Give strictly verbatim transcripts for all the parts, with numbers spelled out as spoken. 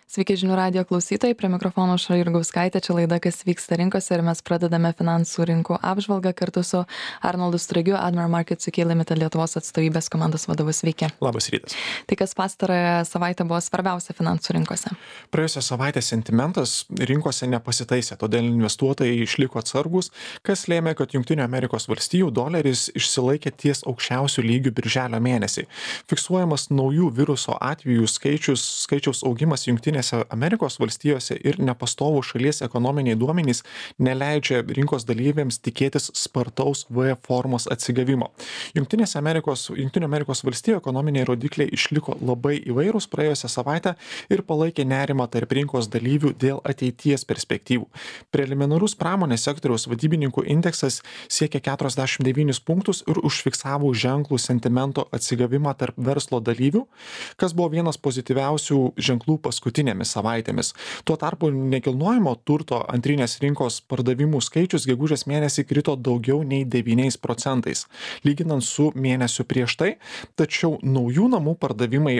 Sveiki žinių radijo klausytojai, prie mikrofono Aušra Jurgauskaitė, čia laida Kas vyksta rinkose ir mes pradedame finansų rinkų apžvalgą kartu su Arnoldu Stragiu, Admiral Markets U K Limited Lietuvos atstovybės komandos vadovu. Sveiki. Labas rytas. Tai kas pastarąją savaitę buvo svarbiausia finansų rinkose? Praėjusią savaitę sentimentas rinkose nepasitaisė, todėl investuotojai išliko atsargus, kas lėmė, kad Junktinių Amerikos valstijų doleris išsilaikė ties aukščiausių lygių birželio mėnesį. Fiksuojamas naujų viruso atvejų skaičius, skaičiaus augimas Junktinėse Amerikos valstijose ir nepastovų šalies ekonominiai duomenys neleidžia rinkos dalyviams tikėtis spartaus V formos atsigavimo. Junktinėse Amerikos, Junktinių Amerikos valstijų ekonominiai rodikliai išliko labai įvairūs praėjusią savaitę ir palaikė nerimą tarp rinkos dalyvių dėl ateities perspektyvų. Preliminarus pramonės sektoriaus vadybininkų indeksas siekia keturiasdešimt devynis punktus ir užfiksavo ženklų sentimento atsigavimą tarp verslo dalyvių, kas buvo vienas pozityviausių ženklų paskutinėmis savaitėmis. Tuo tarpu nekilnojamo turto antrinės rinkos pardavimų skaičius gegužės mėnesį krito daugiau nei devyniais procentais, lyginant su mėnesiu prieš tai, tačiau naujų namų pardavimai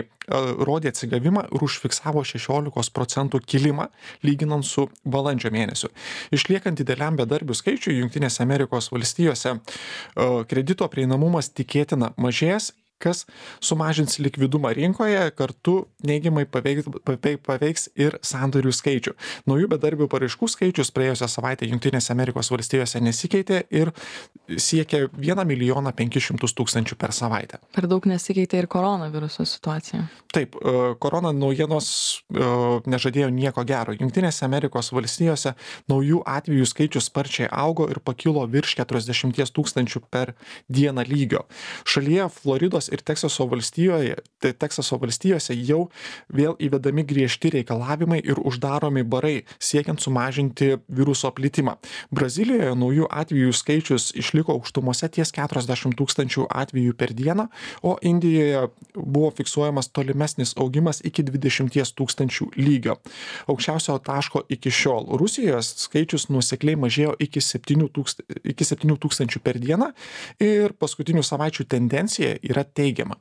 rodė atsigavimą ir užfiksavo šešiolikos procentų kilimą, lyginant su balandžio mėnesiu. Išliekant dideliam bedarbių skaičiui Jungtinėse Amerikos valstijose, kredito prieinamumas tikėtina mažės, kas sumažins likvidumą rinkoje, kartu neigiamai paveiks, paveiks ir sandorių skaičių. Naujų bedarbių paraiškų skaičius praėjusią savaitę Jungtinėse Amerikos valstijose nesikeitė ir siekia vieną milijoną penkis šimtus tūkstančių per savaitę. Per daug nesikeitė ir koronaviruso situacija. Taip, korona naujienos nežadėjo nieko gero. Jungtinėse Amerikos valstijose naujų atvejų skaičius sparčiai augo ir pakilo virš keturiasdešimties tūkstančių per dieną lygio. Šalyje Floridos ir Teksaso valstijoje, tai Teksaso valstijose jau vėl įvedami griežti reikalavimai ir uždaromi barai, siekiant sumažinti viruso plitimą. Brazilijoje naujų atvejų skaičius išliko aukštumose ties keturiasdešimt tūkstančių atvejų per dieną, o Indijoje buvo fiksuojamas tolimesnis augimas iki dvidešimties tūkstančių lygio. Aukščiausio taško iki šiol. Rusijoje skaičius nuosekliai mažėjo iki septynių tūkstančių per dieną ir paskutinių savaičių tendencija yra teigiama.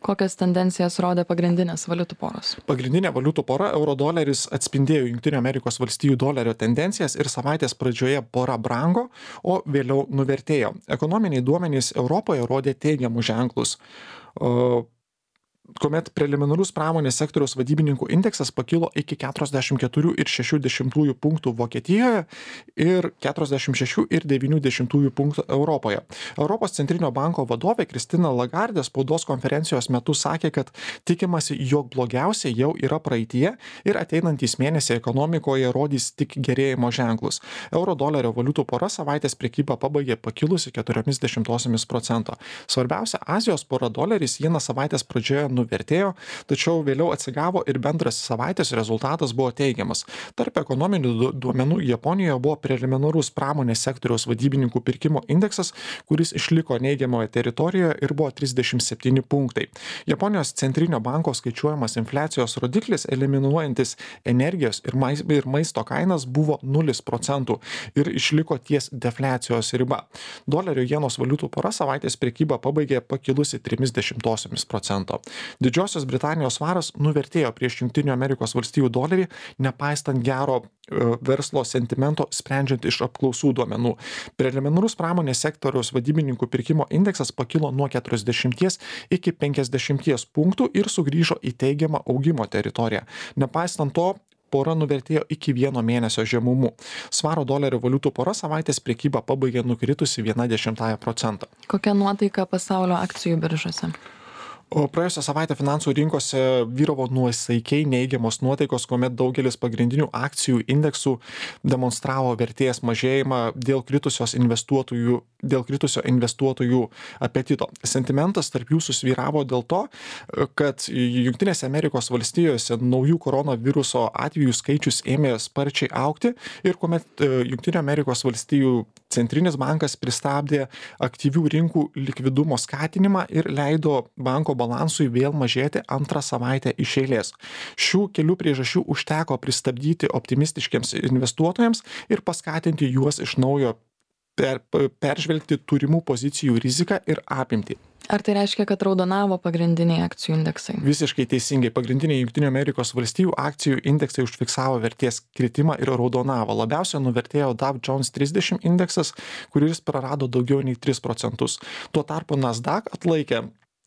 Kokias tendencijas rodė pagrindinės valiutų poros? Pagrindinė valiutų pora euro-doleris atspindėjo Junktinių Amerikos valstijų dolerio tendencijas ir savaitės pradžioje pora brango, o vėliau nuvertėjo. Ekonominiai duomenys Europoje rodė teigiamus ženklus. O kuomet preliminarus pramonės sektoriaus vadybininkų indeksas pakilo iki keturiasdešimt keturių ir šešių dešimtųjų punktų Vokietijoje ir keturiasdešimt šešių ir devynių dešimtųjų punktų Europoje. Europos centrinio banko vadovė Kristina Lagardė spaudos konferencijos metu sakė, kad tikimasi, jog blogiausia jau yra praeityje ir ateinantys mėnesiai ekonomikoje rodys tik gerėjimo ženklus. Euro-dolerio valiutų pora savaitės prekybą pabaigė pakilusi keturiomis dešimtosiomis procento. Svarbiausia, Azijos pora doleris vieną savaitės pradžioje nuvertėjo, tačiau vėliau atsigavo ir bendras savaitės rezultatas buvo teigiamas. Tarp ekonominių duomenų Japonijoje buvo preliminarus pramonės sektoriaus vadybininkų pirkimo indeksas, kuris išliko neigiamoje teritorijoje ir buvo trisdešimt septyni punktai. Japonijos centrinio banko skaičiuojamas infliacijos rodiklis, eliminuojantis energijos ir maisto kainas, buvo nulis procentų ir išliko ties defliacijos riba. Dolerio jenos valiutų pora savaitės prekybą pabaigė pakilusi trimis dešimtosiomis procento. Didžiosios Britanijos svaras nuvertėjo prieš Junktinių Amerikos valstijų dolerį, nepaistant gero verslo sentimento sprendžiant iš apklausų duomenų. Preliminarus pramonės sektoriaus vadybininkų pirkimo indeksas pakilo nuo keturiasdešimties iki penkiasdešimties punktų ir sugrįžo į teigiamą augimo teritoriją. Nepaistant to, pora nuvertėjo iki vieno mėnesio žemumų. Svaro dolerio valiutų pora savaitės prekybą pabaigė nukritusi viena dešimtąją procento. Kokia nuotaika pasaulio akcijų biržose? O praėjusią savaitę finansų rinkose vyravo nuosaikiai neigiamos nuotaikos, kuomet daugelis pagrindinių akcijų indeksų demonstravo vertės mažėjimą dėl kritusios investuotojų, dėl kritusio investuotojų apetito. Sentimentas tarp jų susvyravo dėl to, kad Jungtinėse Amerikos valstijose naujų koronaviruso atvejų skaičius ėmė sparčiai augti ir kuomet Jungtinių Amerikos valstijų Centrinis bankas pristabdė aktyvių rinkų likvidumo skatinimą ir leido banko balansui vėl mažėti antrą savaitę iš eilės. Šių kelių priežasčių užteko pristabdyti optimistiškiams investuotojams ir paskatinti juos iš naujo per, peržvelgti turimų pozicijų riziką ir apimtį. Ar tai reiškia, kad raudonavo pagrindiniai akcijų indeksai? Visiškai teisingai. Pagrindiniai Junktinių Amerikos valstijų akcijų indeksai užfiksavo vertės kritimą ir raudonavo. Labiausiai nuvertėjo Dow Jones trisdešimt indeksas, kuris prarado daugiau nei tris procentus. Tuo tarpu Nasdaq atlaikė,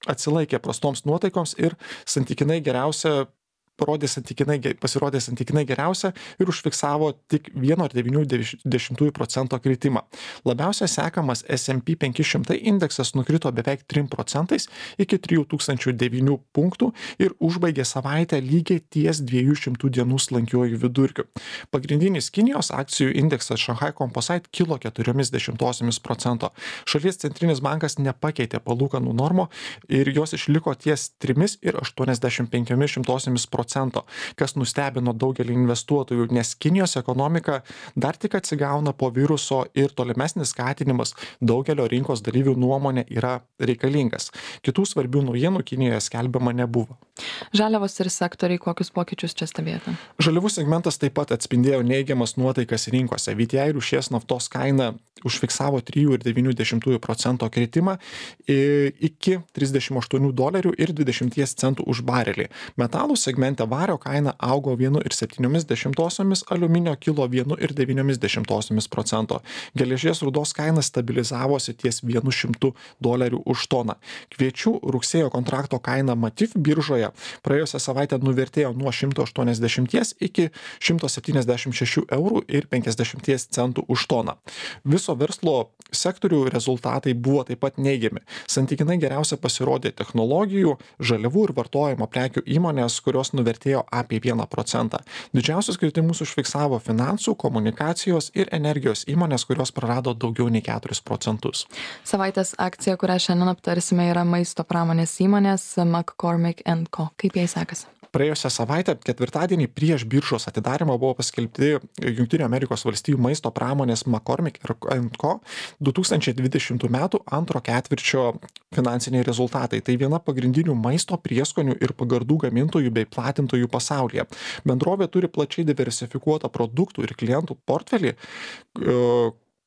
atsilaikė prastoms nuotaikoms ir santykinai geriausia parodė santykinai, pasirodė santykinai geriausia ir užfiksavo tik vieno ir devynių dešimtųjų procento kritimą. Labiausiai sekamas S and P penki šimtai indeksas nukrito beveik trim procentais iki trijų tūkstančių devynių punktų ir užbaigė savaitę lygiai ties dviejų šimtų dienų slankiuoju vidurkiu. Pagrindinis Kinijos akcijų indeksas Shanghai Composite kilo keturiomis dešimtosiomis procento. Šalies centrinis bankas nepakeitė palūkanų normų ir jos išliko ties trimis ir aštuoniasdešimt penkiomis šimtosiomis procento. Kas nustebino daugelį investuotojų, nes Kinijos ekonomika dar tik atsigauna po viruso ir tolimesnis skatinimas daugelio rinkos dalyvių nuomonė yra reikalingas. Kitų svarbių naujienų Kinijoje skelbiama nebuvo. Žaliavos ir sektoriai, kokius pokyčius čia stebėjote? Žaliavų segmentas taip pat atspindėjo neigiamas nuotaikas rinkose. V T I rūšies naftos kaina užfiksavo trijų ir devynių dešimtųjų procento kritimą iki trisdešimt aštuonių dolerių ir dvidešimt centų už barelį. Metalų segmente vario kaina augo vienu ir septyniomis dešimtosiomis, aliuminio kilo vienu ir devyniomis dešimtosiomis procento. Geležies rūdos kaina stabilizavosi ties vienu šimtu dolerių už toną. Kviečių rugsėjo kontrakto kaina Matif biržoje praėjusią savaitę nuvertėjo nuo šimto aštuoniasdešimties iki šimto septyniasdešimt šešių eurų ir penkiasdešimties centų už toną. Viso verslo sektorių rezultatai buvo taip pat neigiami. Santykinai geriausia pasirodė technologijų, žaliavų ir vartojimo prekių įmonės, kurios nuvertėjo apie vieną procentą. Didžiausius kritimus užfiksavo finansų, komunikacijos ir energijos įmonės, kurios prarado daugiau nei keturis procentus. Savaitės akcija, kurią šiandien aptarsime, yra maisto pramonės įmonės McCormick and Co. Kaip jai sekasi? Praėjusią savaitę, ketvirtadienį prieš biržos atidarimą buvo paskelbti Junktinių Amerikos valstijų maisto pramonės McCormick and Co. du tūkstančiai dvidešimtų metų antro ketvirčio finansiniai rezultatai. Tai viena pagrindinių maisto prieskonių ir pagardų gamintojų bei platintojų pasaulyje. Bendrovė turi plačiai diversifikuotą produktų ir klientų portfelį,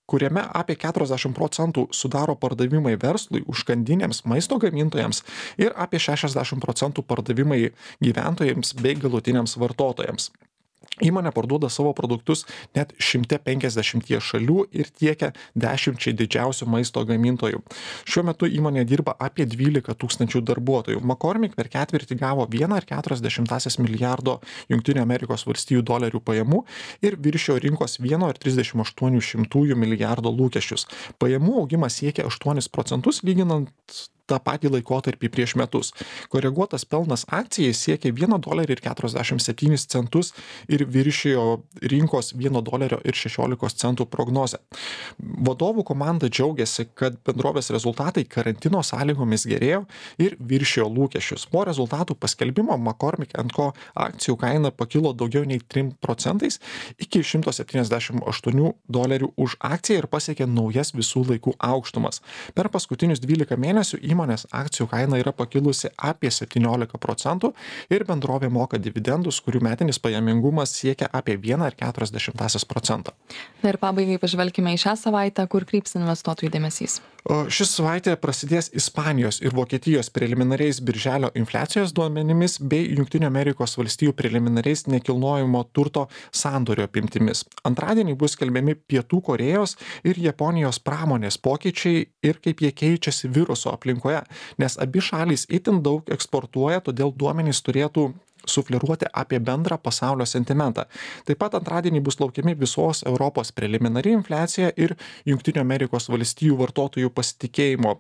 kuriame apie keturiasdešimt procentų sudaro pardavimai verslui, užkandinėms maisto gamintojams ir apie šešiasdešimt procentų pardavimai gyventojams bei galutiniams vartotojams. Įmonė parduoda savo produktus net šimte penkiasdešimtyje šalių ir tiekia dešimčiai didžiausių maisto gamintojų. Šiuo metu įmonė dirba apie dvylika tūkstančių darbuotojų. McCormick per ketvirtį gavo vieną ir keturias dešimtąsias milijardo Junktinių Amerikos valstijų dolerių pajamų ir viršijo rinkos vieno ir trisdešimt aštuonių šimtųjų milijardo lūkesčius. Pajamų augimas siekia aštuonis procentus lyginant tą patį laikotarpį prieš metus. Koreguotas pelnas akcijai siekia vieną dolerį ir keturiasdešimt septynis centus ir viršijo rinkos vieno dolerio ir šešiolikos centų prognozę. Vadovų komanda džiaugiasi, kad bendrovės rezultatai karantino sąlygomis gerėjo ir viršijo lūkesčius. Po rezultatų paskelbimo McCormick and Co. akcijų kaina pakilo daugiau nei trim procentais iki šimto septyniasdešimt aštuonių dolerių už akciją ir pasiekė naujas visų laikų aukštumas. Per paskutinius dvylika mėnesių įmonės akcijų kaina yra pakilusi apie septyniolika procentų ir bendrovė moka dividendus, kurių metinis pajamingumas siekia apie vieną ir keturias dešimtąsias procento. Na ir pabaigai pažvelkime į šią savaitę, kur kryps investuotojų dėmesys. Ši savaitė prasidės Ispanijos ir Vokietijos preliminariais birželio infliacijos duomenimis bei Junktinių Amerikos valstijų preliminariais nekilnojamo turto sandorio apimtimis. Antradienį bus skelbiami Pietų Korėjos ir Japonijos pramonės pokyčiai ir kaip jie keičiasi viruso aplinkoje, nes abi šalys itin daug eksportuoja, todėl duomenys turėtų sufleruoti apie bendrą pasaulio sentimentą. Taip pat antradienį bus laukiami visos Europos preliminari infliacija ir Junktinių Amerikos valstijų vartotojų pasitikėjimo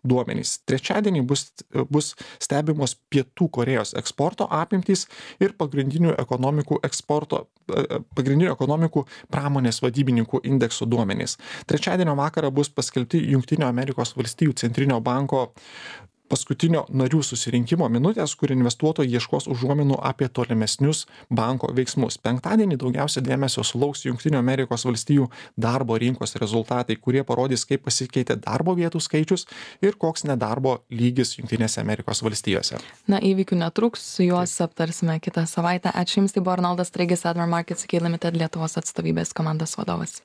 duomenys. Trečiadienį bus, bus stebimos Pietų Korėjos eksporto apimtys ir pagrindinių ekonomikų eksporto, pagrindinių ekonomikų pramonės vadybininkų indeksų duomenys. Trečiadienio vakarą bus paskelbti Junktinių Amerikos valstijų centrinio banko paskutinio narių susirinkimo minutės, kur investuotojai ieškos užuominų apie tolimesnius banko veiksmus. Penktadienį daugiausia dėmesio sulauks Junktinių Amerikos valstijų darbo rinkos rezultatai, kurie parodys, kaip pasikeitė darbo vietų skaičius ir koks nedarbo lygis Jungtinėse Amerikos valstijose. Na, įvykių netruks, juos aptarsime kitą savaitę. Ačiū Jums, tai buvo Arnoldas Straigis, Admiral Markets U K Limited Lietuvos atstovybės komandos vadovas.